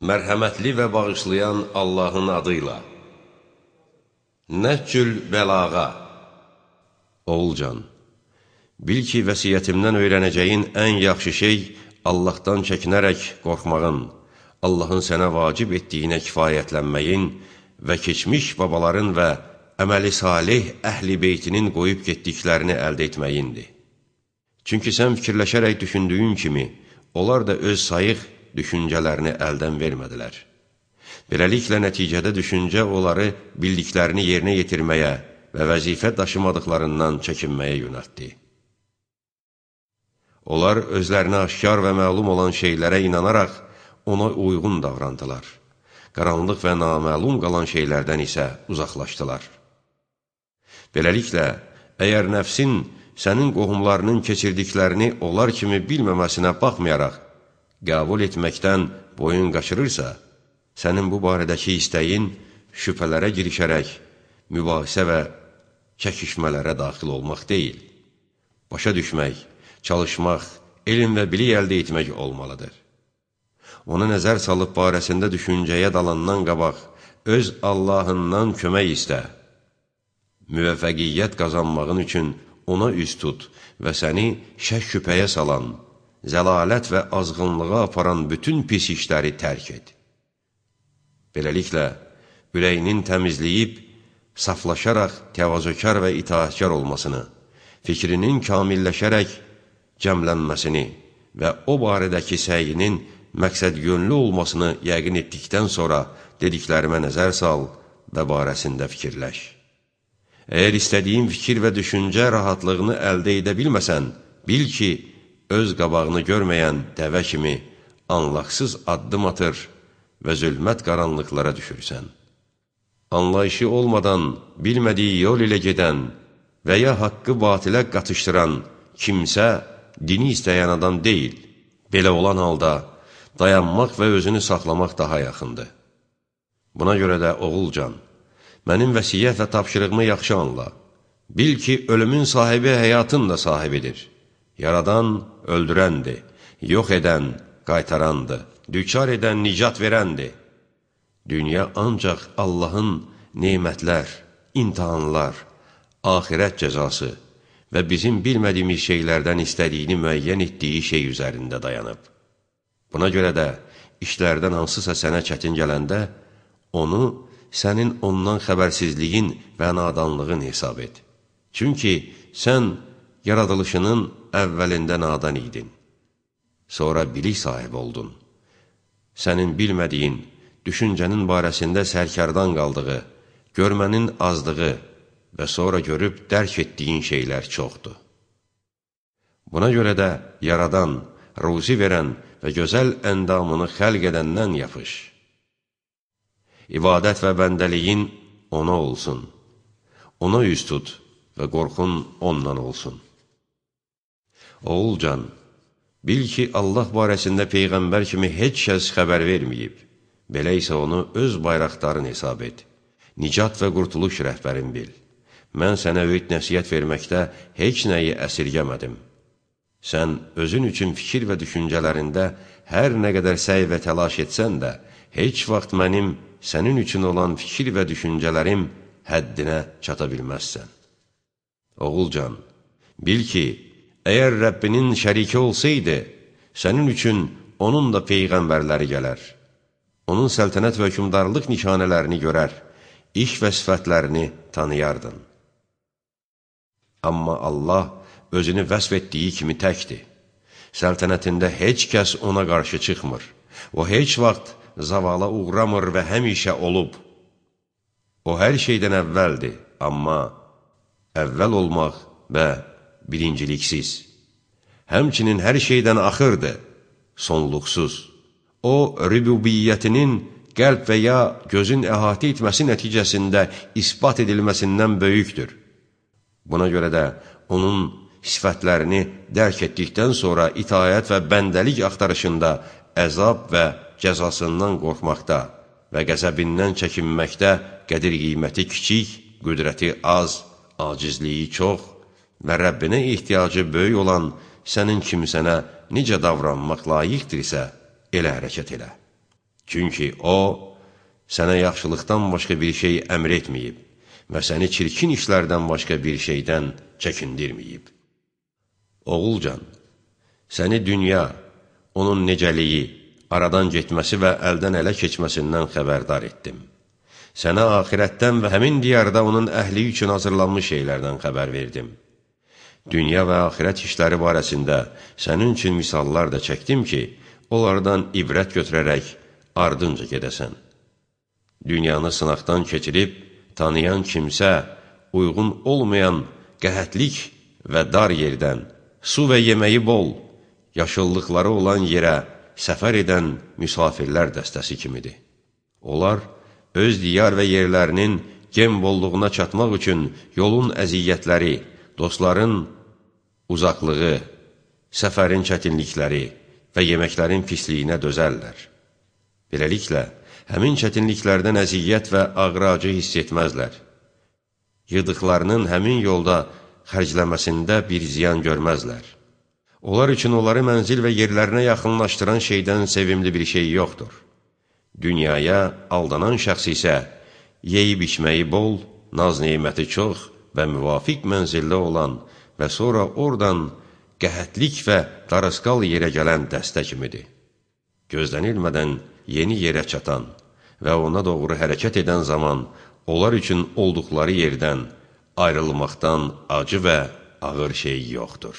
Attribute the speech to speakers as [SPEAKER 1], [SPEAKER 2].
[SPEAKER 1] Mərhəmətli və bağışlayan Allahın adıyla. Nəhcül bəlağa. Oğulcan, bil ki, vəsiyyətimdən öyrənəcəyin ən yaxşı şey Allahdan çəkinərək qorxmağın, Allahın sənə vacib etdiyinə kifayətlənməyin və keçmiş babaların və əməli salih əhl-i beytinin qoyub getdiklərini əldə etməyindir. Çünki sən fikirləşərək düşündüyün kimi, onlar da öz sayıq düşüncələrini əldən vermədilər. Beləliklə, nəticədə düşüncə onları bildiklərini yerinə yetirməyə və vəzifə daşımadıqlarından çəkinməyə yönəltdi. Onlar özlərinə aşkar və məlum olan şeylərə inanaraq ona uyğun davrandılar. Qaranlıq və naməlum qalan şeylərdən isə uzaqlaşdılar. Beləliklə, əgər nəfsin sənin qohumlarının keçirdiklərini onlar kimi bilməməsinə baxmayaraq, qəbul etməkdən boyun qaçırırsa, sənin bu barədəki istəyin şübhələrə girişərək, mübahisə və çəkişmələrə daxil olmaq deyil. Başa düşmək, çalışmaq, elm və bilik əldə etmək olmalıdır. Ona nəzər salıb barəsində düşüncəyə dalandan qabaq, öz Allahından kömək istə. Müvəffəqiyyət qazanmağın üçün ona üz tut və səni şək-şübhəyə salan, zəlalət və azğınlığa aparan bütün pis işləri tərk et. Beləliklə, ürəyinin təmizləyib, saflaşaraq təvazökar və itaətkar olmasını, fikrinin kamilləşərək cəmlənməsini və o barədəki səyinin məqsəd yönlü olmasını yəqin etdikdən sonra dediklərimə nəzər sal və barəsində fikirləş. Əgər istədiyin fikir və düşüncə rahatlığını əldə edə bilməsən, bil ki, öz qabağını görməyən dəvə kimi anlaqsız addım atır və zülmət qaranlıqlara düşürsən. Anlayışı olmadan, bilmədiyi yol ilə gedən və ya haqqı batilə qatışdıran kimsə dini istəyən adam deyil. Belə olan halda dayanmaq və özünü saxlamaq daha yaxındır. Buna görə də oğulcan, mənim vəsiyyət və tapşırığımı yaxşı anla. Bil ki, ölümün sahibi həyatın da sahibidir. Yaradan öldürəndir, yox edən qaytarandır, düçar edən nicat verəndir. Dünya ancaq Allahın nemətlər, imtihanlar, axirət cəzası və bizim bilmədiyimiz şeylərdən istədiyini müəyyən etdiyi şey üzərində dayanıb. Buna görə də işlərdən hansısa sənə çətin gələndə, onu sənin ondan xəbərsizliyin və nadanlığın hesab et. Çünki sən yaradılışının əvvəlində nadan idin. Sonra bilik sahibi oldun. Sənin bilmədiyin, düşüncənin barəsində sərkardan qaldığı, görmənin azlığı və sonra görüb dərk etdiyin şeylər çoxdur. Buna görə də yaradan, ruzi verən və gözəl əndamını xəlq edəndən yapış. İbadət və bəndəliyin ona olsun. Ona üz tut və qorxun ondan olsun. Oğulcan, bil ki, Allah barəsində Peyğəmbər kimi heç kəs xəbər verməyib. Belə isə onu öz bayraqdarın hesab et. Nicat və qurtuluş rəhbərin bil. Mən sənə öyüd nəsiyyət verməkdə heç nəyi əsirgəmədim. Sən özün üçün fikir və düşüncələrində hər nə qədər səy və təlaş etsən də, heç vaxt mənim sənin üçün olan fikir və düşüncələrim həddinə çata bilməzsən. Oğulcan, bil ki, əgər Rəbbinin şəriki olsaydı, sənin üçün onun da peyğəmbərləri gələr. Onun səltənət və hökmdarlıq nişanələrini görər, iş və sifətlərini tanıyardın. Amma Allah özünü vəsf etdiyi kimi təkdir. Səltənətində heç kəs ona qarşı çıxmır. O heç vaxt zavala uğramır və həmişə olub. O hər şeydən əvvəldir, amma əvvəl olmaq və birinciliksiz. Həmçinin hər şeydən axırdır, sonluqsuz. O, rübubiyyətinin qəlb və ya gözün əhatə etməsi nəticəsində isbat edilməsindən böyükdür. Buna görə də onun sifətlərini dərk etdikdən sonra itaət və bəndəlik axtarışında əzab və cəzasından qorxmaqda və qəzəbindən çəkinməkdə qədir-qiyməti kiçik, qüdrəti az, acizliyi çox və Rəbbinə ehtiyacı böyük olan sənin kimsənə necə davranmaq layiqdirsə, elə hərəkət elə. Çünki o, sənə yaxşılıqdan başqa bir şey əmr etməyib və səni çirkin işlərdən başqa bir şeydən çəkindirməyib. Oğulcan, səni dünya, onun necəliyi, aradan getməsi və əldən ələ keçməsindən xəbərdar etdim. Sənə axirətdən və həmin diyarda onun əhli üçün hazırlanmış şeylərdən xəbər verdim. Dünya və axirət işləri barəsində sənin üçün misallar da çəkdim ki, onlardan ibrət götürərək ardınca gedəsən. Dünyanı sınaqdan keçirib, tanıyan kimsə uyğun olmayan qəhətlik və dar yerdən, su və yeməyi bol, yaşıllıqları olan yerə səfər edən müsafirlər dəstəsi kimidir. Onlar öz diyar və yerlərinin gem bolluğuna çatmaq üçün yolun əziyyətləri, dostların uzaqlığı, səfərin çətinlikləri və yeməklərin pisliyinə dözərlər. Beləliklə, həmin çətinliklərdən əziyyət və ağrı-acı hiss etməzlər. Yığdıqlarının həmin yolda xərcləməsində bir ziyan görməzlər. Onlar üçün onları mənzil və yerlərinə yaxınlaşdıran şeydən sevimli bir şey yoxdur. Dünyaya aldanan şəxs isə yeyib içməyi bol, naz-neməti çox və müvafiq mənzildə olan və sonra oradan qəhətlik və darısqal yerə gələn dəstə kimidir. Gözlənilmədən yeni yerə çatan və ona doğru hərəkət edən zaman onlar üçün olduqları yerdən ayrılmaqdan acı və ağır şey yoxdur.